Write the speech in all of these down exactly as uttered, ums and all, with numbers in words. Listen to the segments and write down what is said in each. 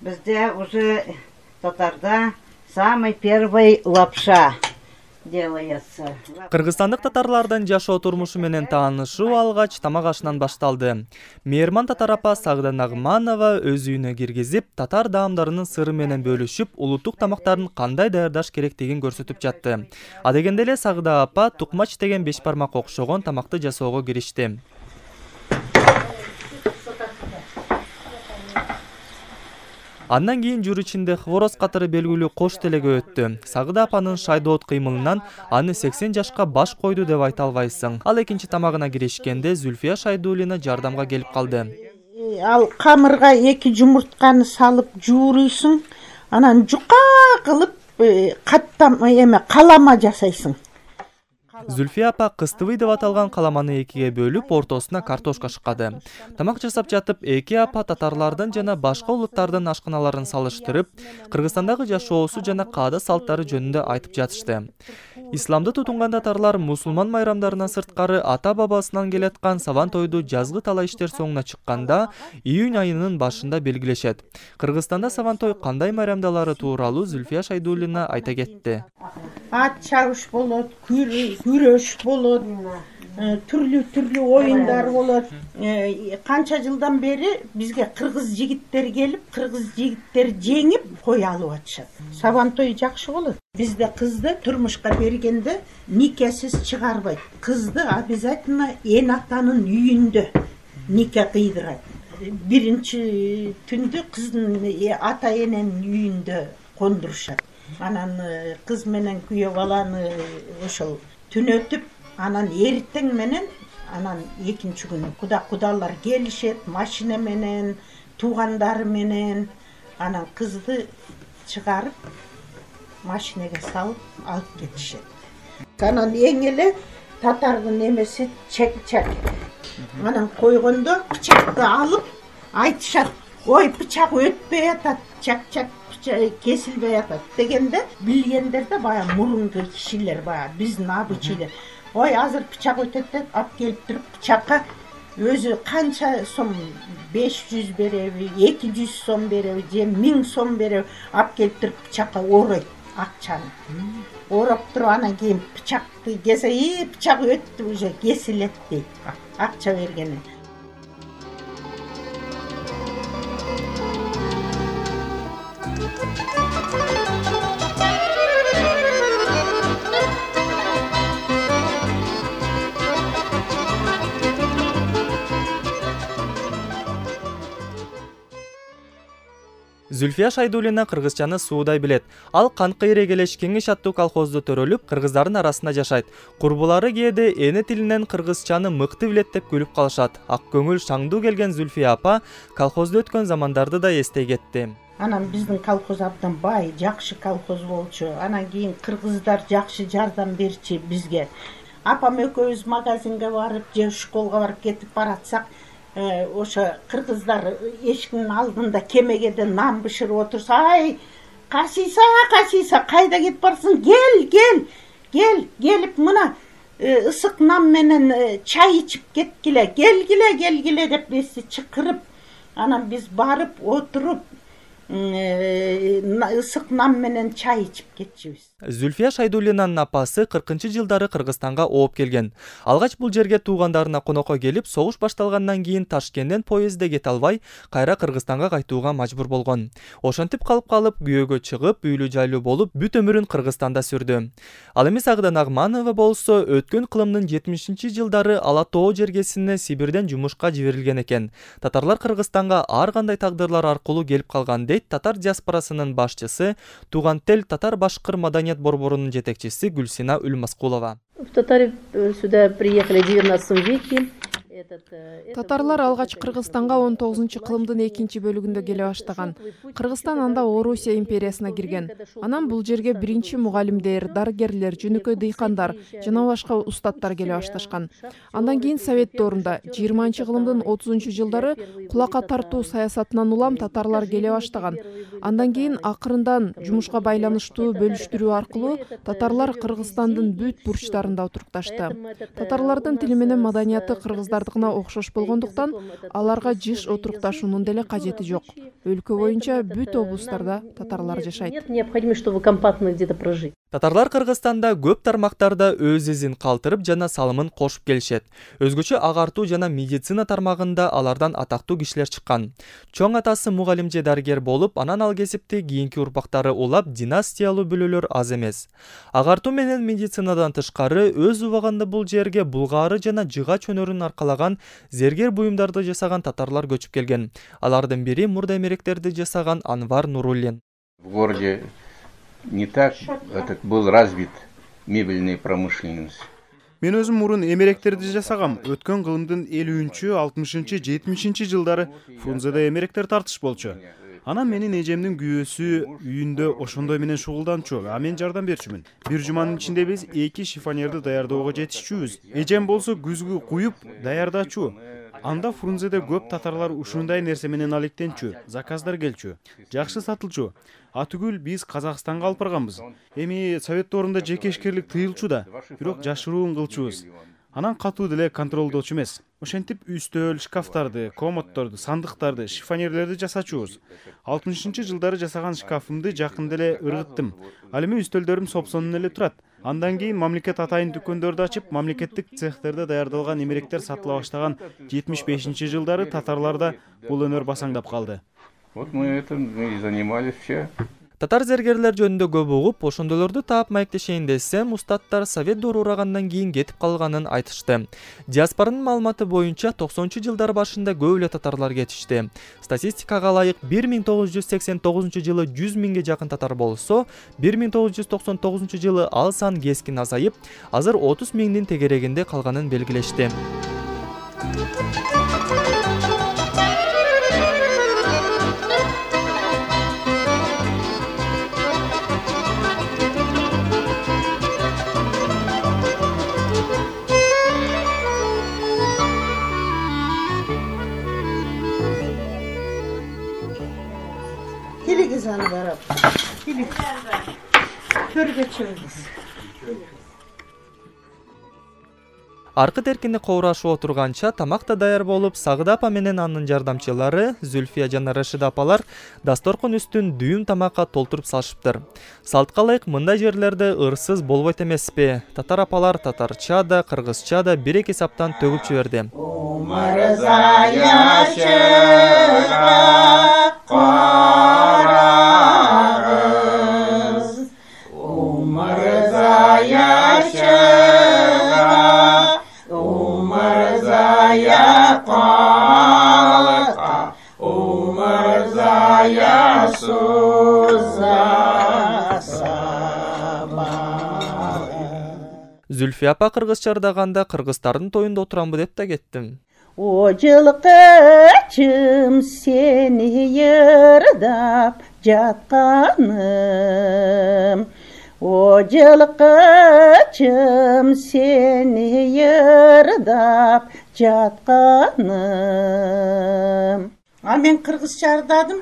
Бізде уже татарда самый первый лапша делается. Кыргызстандык татарлардын жашоо турмушу менен таанышуу алгач тамак ашынан башталды. Мээрман татар апа Сагда Нагманова өз үйүнө киргизип, татар даамдарынын сыры менен бөлүшүп, улуттук тамактарын кандай даярдаш керектигин көрсөтүп жатты. А дегенде эле Сагда апа тукмач деген беш бармак окшогон тамакты жасоого киришти. Андан кийин жур ичинде хворост катары белгилүү кош телеге өттү. Сагда апанын шайдоот кыймылынан аны сексен жашка баш койду деп айта албайсың. Ал экинчи тамагына киришкенде Зүлфия Шайдуллина жардамга келип калды. Ал камырга эки жумуртканы салып жууруйсуң, анан жука кылып каттам эме калама жасайсың. Зүлфия апа кыстыбый деп аталган каламаны экиге бөлүп, ортосуна картошка шыккады. Тамак жасап жатып, эки апа татарлардын жана башка улуттардын ашканаларын салыштырып, Кыргызстандагы жашоосу жана каада салттары жөнүндө айтып жатышты. Исламды тутунган татарлар мусулман майрамдарынан сырткары ата-бабасынан келаткан сабан тойду жазгы талай иштер соңуна чыкканда июнь айынын башында белгилешет. Кыргызстанда сабан той кандай майрамдалары тууралуу Зүлфия Шайдуллина айта кетти. Ат чабыш болот, күрөш болот, түрлүү-түрлүү оюндар болот. Канча жылдан бери бизге кыргыз жигиттери келип, кыргыз жигиттери жеңип кой алып атышат. Сабан той жакшы болот. Бизде кызды турмушка бергенде никесиз чыгарбайт. Кызды обязательно эн атанын үйүндө нике кыйдырат. Биринчи түндү кыздын ата эненин үйүндө кондурушат. Анан кыз менен күйөө баланы ошол түнөтүп, анан эртең менен, анан экинчи күнү куда кудалар келишет, машина менен, туугандары менен, анан кызды чыгарып, машинеге салып алып кетишет. Анан эң эле татардын эмеси чекчек. Анан койгондо пычакты алып айтышат, ой пычак өтпөй атат, чак-чак кесилбей атат дегенде билгендерде баягы мурунку кишилер, баягы биздин абычыйлар. Ой азыр пычак өтөт деп алып келип туруп пычакка өзү канча сом, беш жүз береби, эки жүз сом береби, же миң сом береби алып келип туруп пычакка оройт акчаны. Ороп туруп анан кийин пычакты кесе, и пычак өттү уже кесилет дейт. Акча бергени. Зүлфия Шайдуллина кыргызчаны суудай билет. Ал Канкы Ирегелеш Кеңеш аттуу колхозду төрөлүп, кыргыздардын арасында жашайт. Курбулары кээде эне тилинен кыргызчаны мыкты билет деп күлүп калышат. Ак көңүл шаңдуу келген Зүлфия апа колхозду өткөн замандарды да эстей кетти. Анан биздин колхоз абдан бай, жакшы колхоз болчу. Анан кийин кыргыздар жакшы жардам берчи бизге. Апам экөөбүз магазинге барып, же школго барып кетип баратсак, ошо кыргыздар эшиктин алдында кемегеде нан бышырып отурса, ай касыйса касыйса кайда кетип барсың, кел кел кел келип мына ысык нан менен чай ичип кеткиле, келгиле келгиле деп эси чакырып, анан биз барып отуруп ысык нан менен чай ичип кетчүбүз. Зүлфия Шайдуллинанын апасы кыркынчы жылдары Кыргызстанга ооп келген. Алгач бул жерге туугандарына конокко келип, согуш башталгандан кийин Ташкенттен поездде кете албай, кайра Кыргызстанга кайтууга мажбур болгон. Ошентип калып калып, күйөөгө чыгып, үйлүү жайлуу болуп, бүт өмүрүн Кыргызстанда сүрдү. Ал эми Сагда Нагманова болсо өткөн кылымдын жетимишинчи жылдары Ала Тоо жергесине Сибирден жумушка жиберилген экен. Татарлар Кыргызстанга ар кандай тагдырлар аркылуу келип калган дейт татар диаспорасынын башчысы, Туган тел татар башкыр маданият борборунун жетекчиси Гүлсина Үлмаскулова. В Татары сюда приехали в девятнадцатом веке. Татарлар алгач Кыргызстанга он тогузунчу кылымдын экинчи бөлүгүндө келе баштаган. Кыргызстан анда Орусия империясына кирген. Анан бул жерге биринчи мугалимдер, дарыгерлер, жөнөкөй дыйкандар жана башка устаттар келе башташкан. Андан кийин Совет доорунда жыйырманчы кылымдын отузунчу жылдары кулакка тартуу саясатынан улам татарлар келе баштаган. Андан кийин акырындан жумушка байланыштуу бөлүштүрүү аркылуу татарлар Кыргызстандын бүт бурчтарында отурукташты. Татарлардын тили менен маданияты кыргыздарды баштыгына окшош болгондуктан аларга жыш отурукташуунун деле кажети жок. Өлкө боюнча бүт облустарда татарлар жашайт. Нет необходимости, чтобы компактно где-то прожить. Татарлар Кыргызстанда көп тармактарда өз изин калтырып жана салымын кошуп келишет. Өзгөчө агартуу жана медицина тармагында алардан атактуу кишилер чыккан. Чоң атасы мугалим же дарыгер болуп, анан ал кесипти кийинки урпактары улап, династиялуу бүлөлөр аз эмес. Агартуу менен медицинадан тышкары өз убагында бул жерге булгаары жана жыгач өнөрүн аркалаган зергер буюмдарды жасаган татарлар көчүп келген. Алардын бири мурда эмеректерди жасаган Анвар Нуруллин. В городе не так этот был развит мебельная промышленность. Мен өзүм мурун эмеректерди жасагам. Өткөн кылымдын элүүнчү, алтымышынчы, жетимишинчи жылдары Фрунзеде эмеректер тартыш болчу. Анан менин эжемдин күйөөсү үйүндө ошондой менен шугулданчу, а мен жардам берчүмүн. Бир жуманын ичинде биз эки шифонерди даярдоого жетишчүбүз. Эжем болсо күзгү куюп даярдачу. Анда Фрунзеде көп татарлар ушундай нерсе менен алектенчү, заказдар келчү, жакшы сатылчу. А түгүл биз Казакстанга алып барганбыз. Эми совет доорунда жеке ишкерлик тыйылчу да, бирок жашыруун кылчубуз. Анан катуу деле контролдочу эмес. Ошентип үстөл, шкафтарды, комодторду, сандыктарды, шифонерлерди жасачубуз. алтымышынчы жылдары жасаган шкафымды жакын деле ыргыттым. Ал эми үстөлдөрүм сопсонун эле турат. Андан кийин мамлекет атайын дүкөндөрдү ачып, мамлекеттик цехтерде даярдалган эмеректер сатыла баштаган жетимиш бешинчи жылдары татарларда бул өнөр басаңдап калды. Вот мы этим и занимались все. Татар зергерлер жөнүндө көп угуп, ошондолорду таап маектешейин десем, устаттар совет доору урагандан кийин кетип калганын айтышты. Диаспоранын маалыматы боюнча токсонунчу жылдар башында көп эле татарлар кетишти. Статистикага ылайык бир миң тогуз жүз сексен тогузунчу жылы жүз миңге жакын татар болсо, бир миң тогуз жүз токсон тогузунчу жылы ал сан кескин азайып, азыр отуз миңдин тегерегинде калганын белгилешти. Телевизорны барап, төргө чыгыңыз. Аркы теркинде коурашып отурганча тамак да даяр болуп, Сагыда апа менен анын жардамчылары Зүлфия жана Рашида апалар дасторкон үстүн дүйүм тамакка толтуруп салышыптыр. Салтка ылайык мындай жерлерде ырсыз болбойт эмеспи? Татар апалар татарча да, кыргызча да бир эки саптан төгүп жиберди. Зүлфия апа кыргызча ырдаганда кыргыздардын тоюнда отурамбы деп да кеттим. О жылкычым сени ырдап жатканым, о жылкычым сени ырдап жатканым. А мен кыргызча ырдадым.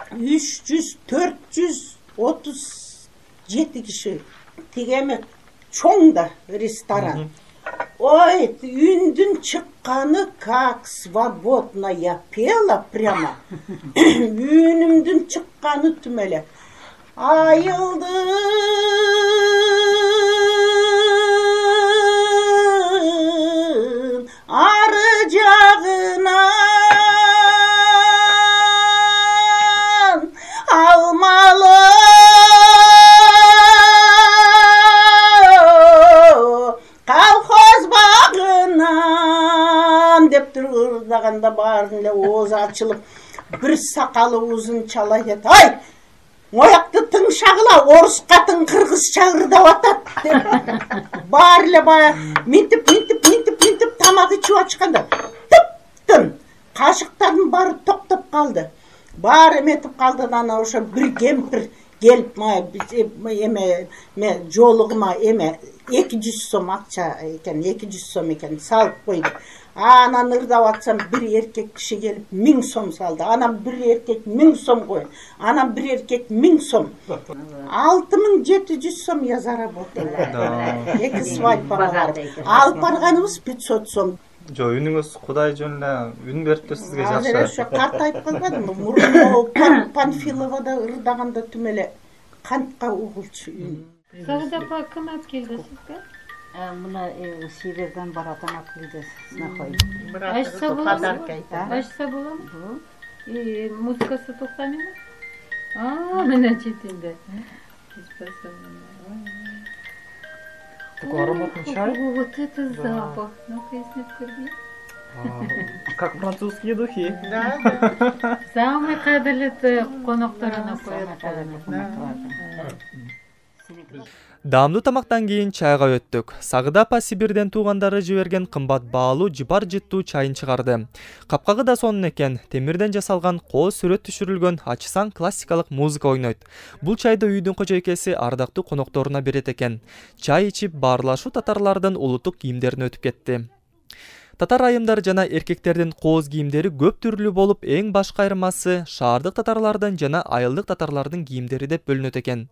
үч жүз төрт жүз отуз жети киши тигеме чоң да ресторан. Ой, үндүн чыкканы как свободно я пела прямо. Үнүмдүн чыкканы түм эле. Айылдын ары жагынан алмалы ырдаганда баарын эле оозу ачылып, бир сакалы узун чала айтат. Ай! Оякты тыңшагыла, орус катын кыргызча ырдап атат деп. Баары эле баягы минтип, минтип, минтип, минтип тамак ичип ачканда тып-тын кашыктардын баары токтоп калды. Баары эметип калды да анан ошо бир кемпир келип эме жолугума эме эки жүз сом акча экен, эки жүз сом экен салып койду. Анан ырдап атсам бир эркек киши келип миң сом салды. Анан бир эркек миң сом кой. Анан бир эркек миң сом. алты миң жети жүз сом я заработала. Эки свадьбага барып. Алып барганыбыз пятьсот сом. Жо, үнүңүз Кудай жөн эле үн берип сизге Азыр жакшы. ошо карт айтып калбадымбы? Мурун Панфиловада ырдаганда түм эле кантка угулчу. Сагыда апа ким алып келди сизге? Мына Сибирден баратан алып келди знахой. Ашса болобу? Айта. Ашса болобу? И музыкасы токтамайбы? А, мына четинде. Такой ароматный чай. О, вот это запах. Ну-ка, если вкурди. Как французские духи. Да, да. Самый кадырлы коноктарына коет. Даамдуу тамактан кийин чайга өттүк. Сагыда апа Сибирден туугандары жиберген кымбат баалуу жыпар жыттуу чайын чыгарды. Капкагы да сонун экен. Темирден жасалган кооз сүрөт түшүрүлгөн ачсаң классикалык музыка ойнойт. Бул чайды үйдүн кожойкеси ардактуу конокторуна берет экен. Чай ичип баарлашуу татарлардын улуттук кийимдерине өтүп кетти. Татар айымдар жана эркектердин кооз кийимдери көп түрлүү болуп, эң башкы айырмасы шаардык татарлардын жана айылдык татарлардын кийимдери деп бөлүнөт экен.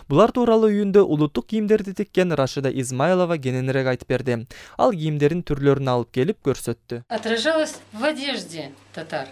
Булар тууралуу үйүндө улуттук кийимдерди тиккен Рашида Измайлова кененирээк айтып берди. Ал кийимдердин түрлөрүн алып келип көрсөттү. Отражалось в одежде татар.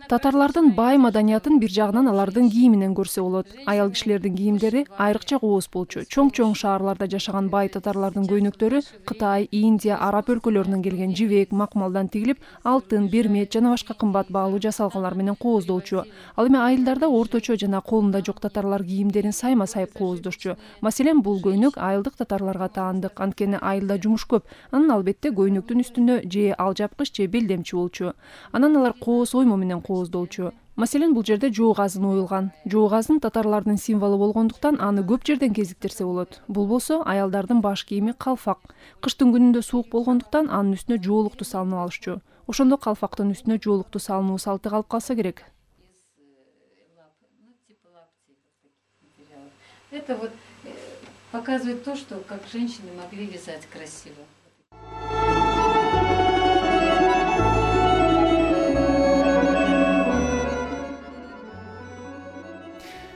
Татарлардын бай маданиятын бир жагынан алардын кийиминен көрсө болот. Аял кишилердин кийимдери айрыкча кооз болчу. Чоң-чоң шаарларда жашаган бай татарлардын көйнөктөрү Кытай, Индия, Араб өлкөлөрүнөн келген жибек, макмалдан тигилип, алтын, бермет жана башка кымбат баалуу жасалганлар менен кооздолчу. Ал эми айылдарда орточо жана колунда жок татарлар кийимдерин сайма сайып кооздошчу. Маселен, бул көйнөк айылдык татарларга таандык, анткени айылда жумуш көп. Анын албетте көйнөктүн үстүндө же алжапкыч же белдемчи болчу. Анан алар кооз оймо менен кооздолчу. Маселен, бул жерде жоо газын оюлган. Жоо газын татарлардын символу болгондуктан аны көп жерден кезиктирсе болот. Бул болсо аялдардын баш кийими калфак. Кыштын күнүндө суук болгондуктан анын үстүнө жоолукту салынып алышчу. Ошондо калфактын үстүнө жоолукту салынуу салты калып калса керек. Это вот показывает то, что как женщины могли вязать красиво.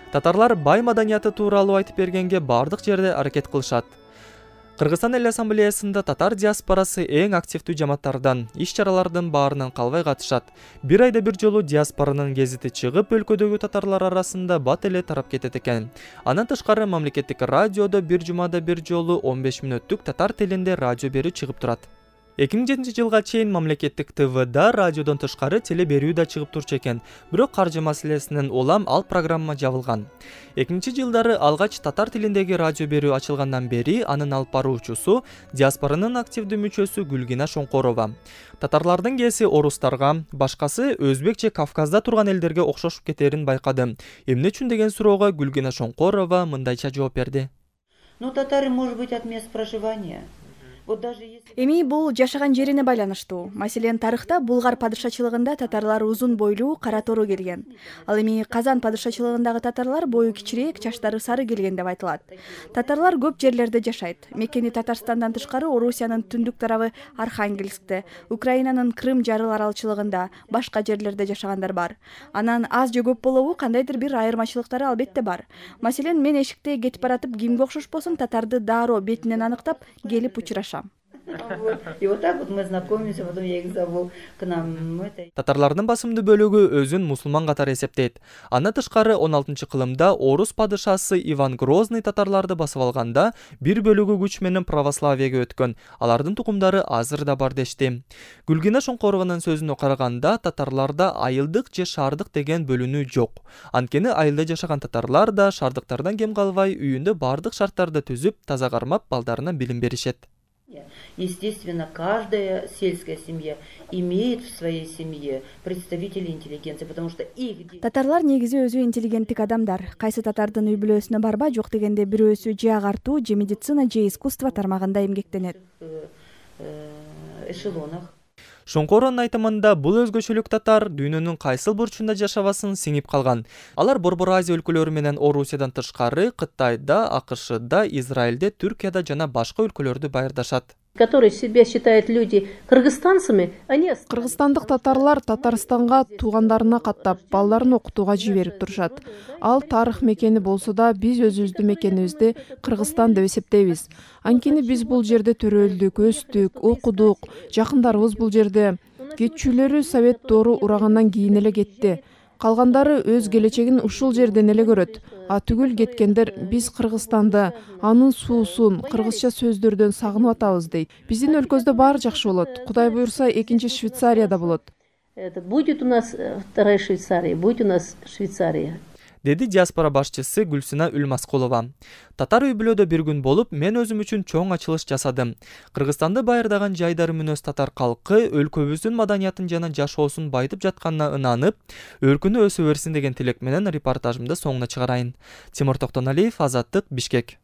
Татарлар бай маданияты тууралуу айтып бергенге бардык жерде аракет кылышат. Кыргызстан Эл Ассамблеясында татар диаспорасы эң активдүү жамааттардан, иш-чаралардын баарынан калбай катышат. Бир айда бир жолу диаспоранын гезити чыгып, өлкөдөгү татарлар арасында бат эле тарап кетет экен. Андан тышкары мамлекеттик радиодо бир жумада бир жолу он беш мүнөттүк татар тилинде радио берүү чыгып турат. эки миң жетинчи жылга чейин мамлекеттик ТВда радиодон тышкары теле берүү да чыгып турчу экен. Бирок каржы маселесинен улам ал программа жабылган. эки миңинчи жылдары алгач татар тилиндеги радио берүү ачылгандан бери анын алып баруучусу диаспоранын активдүү мүчөсү Гүлгина Шоңкорова. Татарлардын кээси орустарга, башкасы өзбек же Кавказда турган элдерге окшошуп кетерин байкады. Эмне үчүн деген суроого Гүлгина Шоңкорова мындайча жооп берди. Ну, татары может быть от мест проживания. Эми бул жашаган жерине байланыштуу. Маселен, тарыхта Булгар падышачылыгында татарлар узун бойлуу, кара тору келген. Ал эми Казан падышачылыгындагы татарлар бою кичирээк, чачтары сары келген деп айтылат. Татарлар көп жерлерде жашайт. Мекени Татарстандан тышкары Орусиянын түндүк тарабы Архангельскте, Украинанын Крым жарыл аралчылыгында, башка жерлерде жашагандар бар. Анан аз же көп болобу, кандайдыр бир айырмачылыктары албетте бар. Маселен, мен эшикте кетип баратып кимге окшошпосун татарды дароо бетинен аныктап келип учурашам. И вот так вот мы знакомимся, потом я их зову к нам. Татарлардын басымдуу бөлүгү өзүн мусулман катары эсептейт. Андан тышкары он алтынчы кылымда Орус падышасы Иван Грозный татарларды басып алганда бир бөлүгү күч менен православияга өткөн. Алардын тукумдары азыр да бар дешти. Гүлгина Шоңкорованын сөзүнө караганда татарларда айылдык же шаардык деген бөлүнүү жок. Анткени айылда жашаган татарлар да шаардыктардан кем калбай үйүндө бардык шарттарды түзүп, таза кармап балдарына билим беришет. Естественно, каждая сельская семья имеет в своей семье представителей интеллигенции, потому что их... Татарлар негизи өзү интеллигенттик адамдар. Кайсы татардын үй бүлөсүнө барба, жок дегенде бирөөсү же агартуу, же медицина, же искусство тармагында эмгектенет. Эшелонах. Шоңкоронун айтымында бул өзгөчөлүк татар дүйнөнүн кайсыл бурчунда жашабасын сиңип калган. Алар Борбор Азия өлкөлөрү менен Орусиядан тышкары Кытайда, АКШда, Израилде, Түркияда жана башка өлкөлөрдү байырдашат. которые себя считают люди кыргызстанцами, они... Кыргызстандык татарлар Татарстанга туугандарына каттап, балдарын окутууга жиберип турушат. Ал тарых мекени болсо да, биз өзүбүздүн мекенибизди Кыргызстан деп эсептейбиз. Анткени биз бул жерде төрөлдүк, өстүк, окудук, жакындарыбыз бул жерде. Кетчүлөрү Совет доору урагандан кийин эле кетти. Калгандары өз келечегин ушул жерден эле көрөт. А түгүл кеткендер биз Кыргызстанды, анын суусун, кыргызча сөздөрдөн сагынып атабыз дейт. Биздин өлкөбүздө баары жакшы болот. Кудай буйрса, экинчи Швейцарияда болот. Будет у нас вторая Швейцария, будет у нас Швейцария. Деди диаспора башчысы Гүлсина Үлмаскулова. Татар үй бүлөдө бир күн болуп, мен өзүм үчүн чоң ачылыш жасадым. Кыргызстанды байырдаган жайдары мүнөз татар калкы өлкөбүздүн маданиятын жана жашоосун байытып жатканына ынанып, өркүнү өсө берсин деген тилек менен репортажымды соңуна чыгарайын. Тимур Токтоналиев, Азаттык, Бишкек.